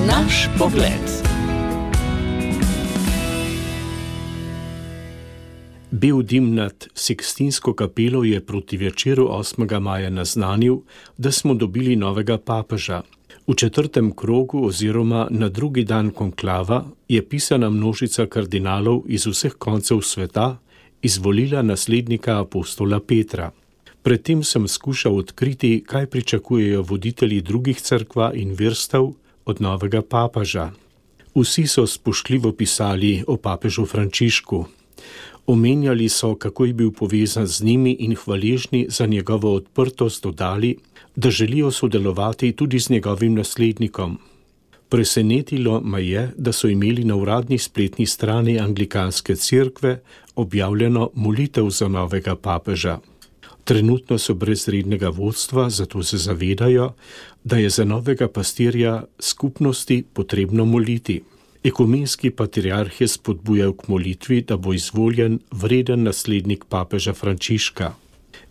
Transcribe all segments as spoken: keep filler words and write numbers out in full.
Naš pogled. Bel dim nad Sikstinsko kapelo je proti večeru osmega maja naznanil, da smo dobili novega papeža. V četrtem krogu oziroma na drugi dan konklava je pisana množica kardinalov iz vseh koncev sveta izvolila naslednika apostola Petra. Predtem sem skušal odkriti, kaj pričakujejo voditelji drugih cerkva in verstev od novega papeža. Vsi so spoštljivo pisali o papežu Frančišku. Omenjali so, kako je bil povezan z njimi in hvaležni za njegovo odprtost dodali, da želijo sodelovati tudi z njegovim naslednikom. Presenetilo me je, da so imeli na uradni spletni strani anglikanske cerkve objavljeno molitev za novega papeža. Trenutno so brez rednega vodstva, zato se zavedajo, da je za novega pastirja skupnosti potrebno moliti. Ekumenski patriarh je spodbujal k molitvi, da bo izvoljen vreden naslednik papeža Frančiška.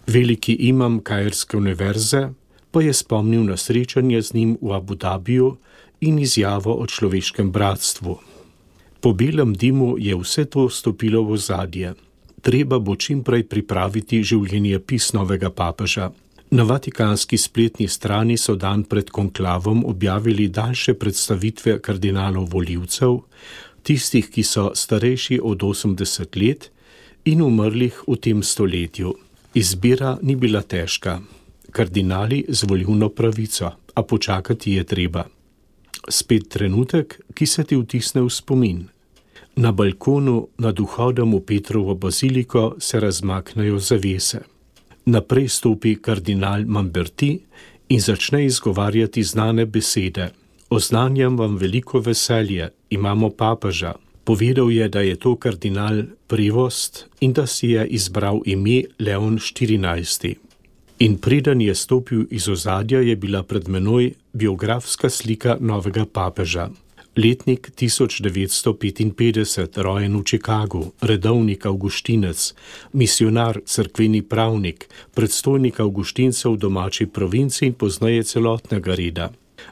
Veliki imam Kairske univerze pa je spomnil na srečanje z njim v Abu Dabiju in izjavo o človeškem bratstvu. Po belem dimu je vse to stopilo v ozadje. Treba bo čimprej pripraviti življenjepis novega papeža. Na vatikanski spletni strani so dan pred konklavom objavili daljše predstavitve kardinalov volivcev, tistih, ki so starejši od osemdeset let in umrlih v tem stoletju. Izbira ni bila težka. Kardinali z volilno pravico, a počakati je treba. Spet trenutek, ki se ti vtisne v spomin. Na balkonu nad vhodom v Petrovo baziliko se razmaknejo zavese. Naprej stopi kardinal Mamberti in začne izgovarjati znane besede. Oznanjam vam veliko veselje, imamo papeža. Povedal je, da je to kardinal Prevost in da si je izbral ime Leon štirinajsti. In preden je stopil iz ozadja, je bila pred menoj biografska slika novega papeža. Letnik tisoč devetsto petinpetdeset, rojen v Čikagu, redovnik avguštinec, misionar, cerkveni pravnik, predstojnik avguštincev v domači provinci in poznaje celotnega reda.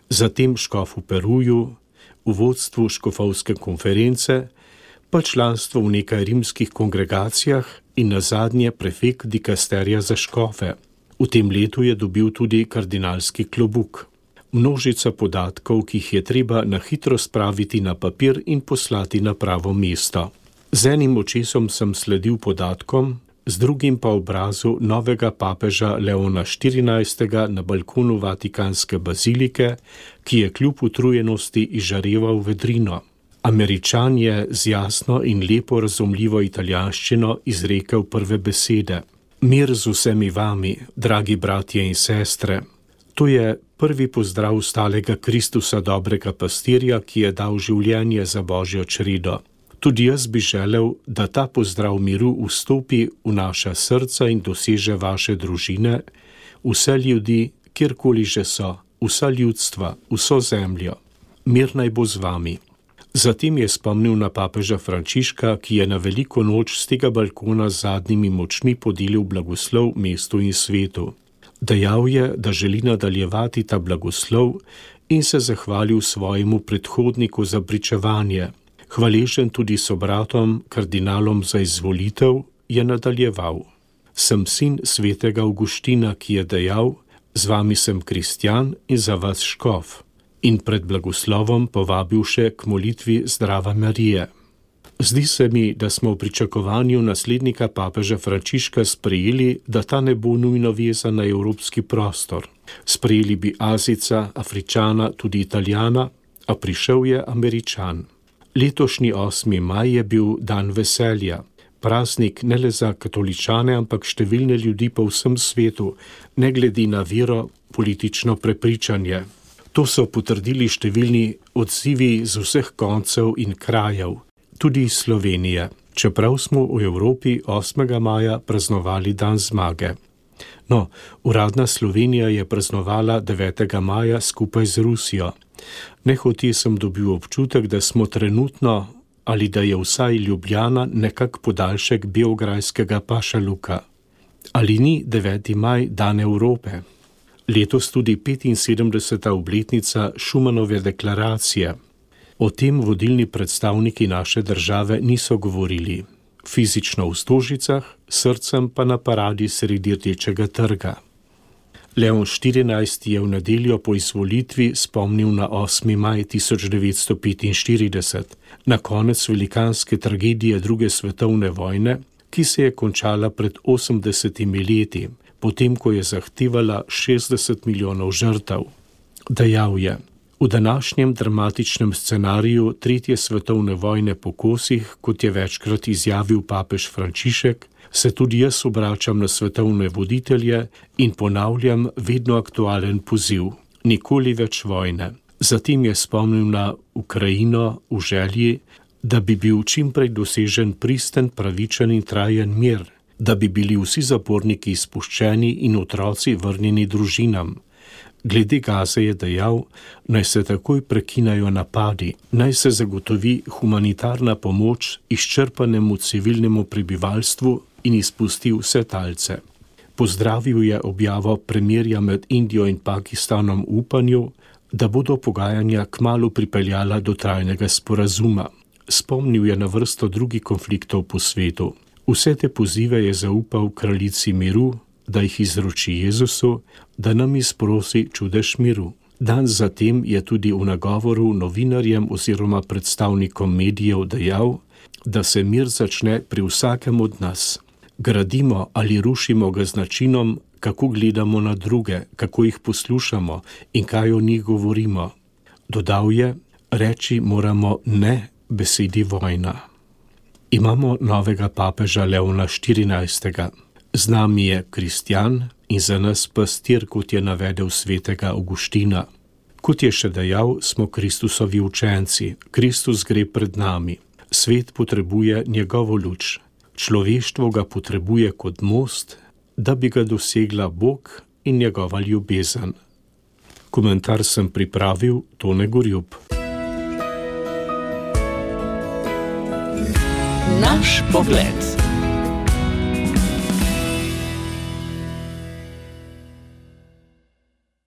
Zatem škof v Peruju, v vodstvu škofovske konference, pa članstvo v nekaj rimskih kongregacijah in nazadnje prefekt dikasterija za škofe. V tem letu je dobil tudi kardinalski klobuk. Množica podatkov, ki jih je treba na hitro spraviti na papir in poslati na pravo mesto. Z enim očesom sem sledil podatkom, z drugim pa obrazu novega papeža Leona štirinajstega na balkonu vatikanske bazilike, ki je kljub utrujenosti izžareval vedrino. Američan je z jasno in lepo razumljivo italijanščino izrekel prve besede. Mir z vsemi vami, dragi bratje in sestre. To je prvi pozdrav stalega Kristusa, dobrega pastirja, ki je dal življenje za Božjo čredo. Tudi jaz bi želel, da ta pozdrav miru vstopi v naša srca in doseže vaše družine, vse ljudi, kjerkoli že so, vsa ljudstva, vso zemljo. Mir naj bo z vami. Zatem je spomnil na papeža Frančiška, ki je na veliko noč z tega balkona z zadnjimi močmi podelil blagoslov mestu in svetu. Dejal je, da želi nadaljevati ta blagoslov in se zahvalil svojemu predhodniku za pričevanje. Hvaležen tudi sobratom, kardinalom za izvolitev, je nadaljeval. Sem sin svetega Avguština, ki je dejal, z vami sem kristjan in za vas škof. In pred blagoslovom povabil še k molitvi Zdrava Marije. Zdi se mi, da smo v pričakovanju naslednika papeža Frančiška sprejeli, da ta ne bo nujno vezan na evropski prostor. Sprejeli bi Azijca, Afričana, tudi Italijana, a prišel je Američan. Letošnji osmi maj je bil dan veselja. Praznik ne le za katoličane, ampak številne ljudi po vsem svetu, ne glede na vero, politično prepričanje. To so potrdili številni odzivi z vseh koncev in krajev, tudi iz Slovenije, čeprav smo v Evropi osmega maja praznovali dan zmage. No, uradna Slovenija je praznovala devetega maja skupaj z Rusijo. Nehote sem dobil občutek, da smo trenutno, ali da je vsaj Ljubljana nekak podaljšek beograjskega pašaluka. Ali ni deveti maj dan Evrope? Letos tudi petinsedemdeseta obletnica Schumanove deklaracije. O tem vodilni predstavniki naše države niso govorili. Fizično v Stožicah, srcem pa na paradi sredi Rdečega trga. Leon štirinajsti je v nedeljo po izvolitvi spomnil na osmi maj tisoč devetsto petinštirideset, na konec velikanske tragedije druge svetovne vojne, ki se je končala pred osemdesetimi leti, potem ko je zahtevala šestdeset milijonov žrtev. Dejal je: v današnjem dramatičnem scenariju tretje svetovne vojne po kosih, kot je večkrat izjavil papež Frančišek, se tudi jaz obračam na svetovne voditelje in ponavljam vedno aktualen poziv: nikoli več vojne. Zatem je spomnil na Ukrajino v želji, da bi bil čimprej dosežen pristen, pravičen in trajen mir, da bi bili vsi zaporniki izpuščeni in otroci vrnjeni družinam. Glede Gaze je dejal, naj se takoj prekinajo napadi, naj se zagotovi humanitarna pomoč izčrpanemu civilnemu prebivalstvu in izpusti vse talce. Pozdravil je objavo premirja med Indijo in Pakistanom v upanju, da bodo pogajanja kmalu pripeljala do trajnega sporazuma. Spomnil je na vrsto drugih konfliktov po svetu. Vse te pozive je zaupal kraljici miru, da jih izroči Jezusu, da nam izprosi čudež miru. Dan zatem je tudi v nagovoru novinarjem oziroma predstavnikom medijev dejal, da se mir začne pri vsakem od nas. Gradimo ali rušimo ga z načinom, kako gledamo na druge, kako jih poslušamo in kaj o njih govorimo. Dodal je: reči moramo ne besedi vojna. Imamo novega papeža Leona štirinajstega. Z nami je kristjan in za nas pastir, kot je navedel svetega Avguština. Kot je še dejal, smo Kristusovi učenci. Kristus gre pred nami. Svet potrebuje njegovo luč. Človeštvo ga potrebuje kot most, da bi ga dosegla Bog in njegova ljubezen. Komentar sem pripravil Tone Gorjup. Naš pogled.